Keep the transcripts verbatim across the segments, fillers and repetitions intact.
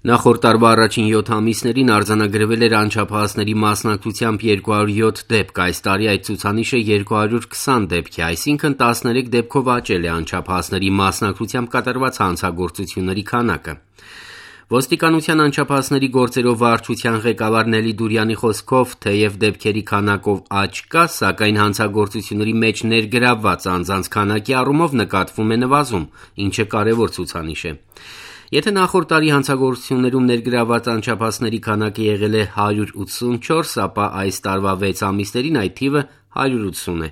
Նախորդ տարվա առաջին յոթ ամիսներին արձանագրվել էր անչափահասների մասնակցությամբ երկու հարյուր յոթ դեպք, այս տարի այդ ցուցանիշը երկու հարյուր քսան դեպք է, այսինքն տասներեք դեպքով աճել է անչափահասների մասնակցությամբ կատարված հանցագործությունների քանակը։ Ոստիկանության անչափահասների գործերով վարչության ղեկավար Նելի Դուրյանի խոսքով, թեև դեպքերի քանակով աճ կա, սակայն հանցագործությունների մեջ ներգրավված անձանց քանակի առումով նկատվում է նվազում, ինչը կարևոր ցուցանիշ է։ Եթե նախորդ տարի հանցագործություններում ներգրավված անչափահասների քանակը եղել է հարյուր ութսունչորս, ապա այս տարվա վեց ամիսներին այդ թիվը հարյուր ութսուն է։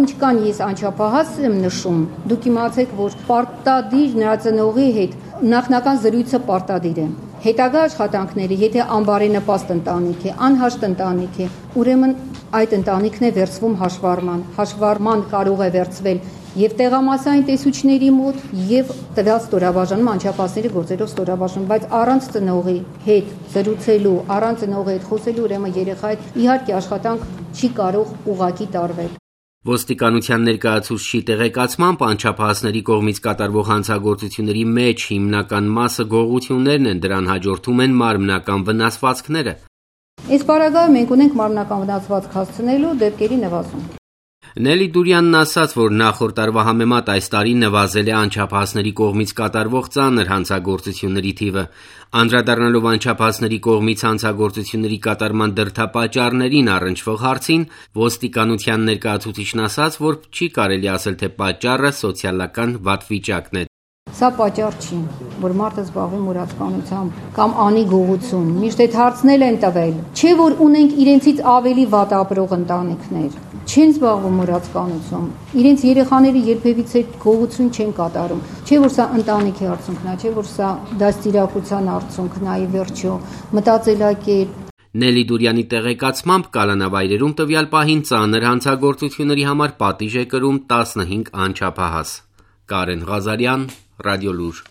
Ինչքան ես անչափահաս եմ նշում, դուք իմացեք, որ պարտադիր նրա ծնողի հետ նախնական զրույցը պարտադիր է։ Հետագա աշխատանքները, եթե անբարենպաստ ընտանիք է, անհաշտ ընտանիք է, ուրեմն այդ ընտանիքն է վերցվում հաշվառման։ Հաշվառման կարող է վերցվել եւ տեղամասային տեսուչների մոտ եւ տվյալ ստորաբաժանում անչափահասների գործերով ստորաբաժանում, բայց առանց ծնողի հետ զրուցելու, առանց ծնողի հետ խոսելու, ուրեմն երեխայի իհարկե աշխատանք չի կարող ուղղակի տարվել։ Ոստիկանության ներկայացուցչի տեղեկացմամբ անչափահասների կողմից կատարվող հանցագործությունների մեջ հիմնական մասը գողություններն են, դրան հաջորդում են մարմնական վնասվածքները։ Այս պարագայում մենք ունենք մարմնական վնասվածք հասցնելու դեպքերի նվազում։ Նելի Դուրյանն ասաց, որ նախորդ տարվա համեմատ այս տարի նվազել է անչափահասների կողմից կատարվող ծանր հանցագործությունների թիվը։ Անդրադառնալով անչափահասների կողմից հանցագործությունների կատարման դրդապատճառներին առնչվող հարցին, ոստիկանության ներկայացուցիչն ասաց, որ չի կարելի ասել, թե պատճառը սոցիալական վատ վիճակն է։ Սա պատճառ չի, որ մարդը զբաղվի մուրացկանությամբ կամ անի գողություն, միշտ այդ հարցնել են տվել, չէ որ ունենք իրենցից ավելի վատ ապրող ընտանիքներ, չեն զբաղվում մուրացկանությամբ, իրենց երեխաները երբևիցե գողություն չեն կատարում, չէ որ սա ընտանիքի արդյունքն է, չէ որ սա դաստիարակության արդյունքն է, ի վերջո, մտածելակերպ։ Նելի Դուրյանի տեղեկացմամբ կալանավայրերում տվյալ պահին ծանր հանցագործությունների համար պատիժ է կրում տասնհինգ անչափահաս։ Կարեն Ղազարյան, Ռադիոլուր։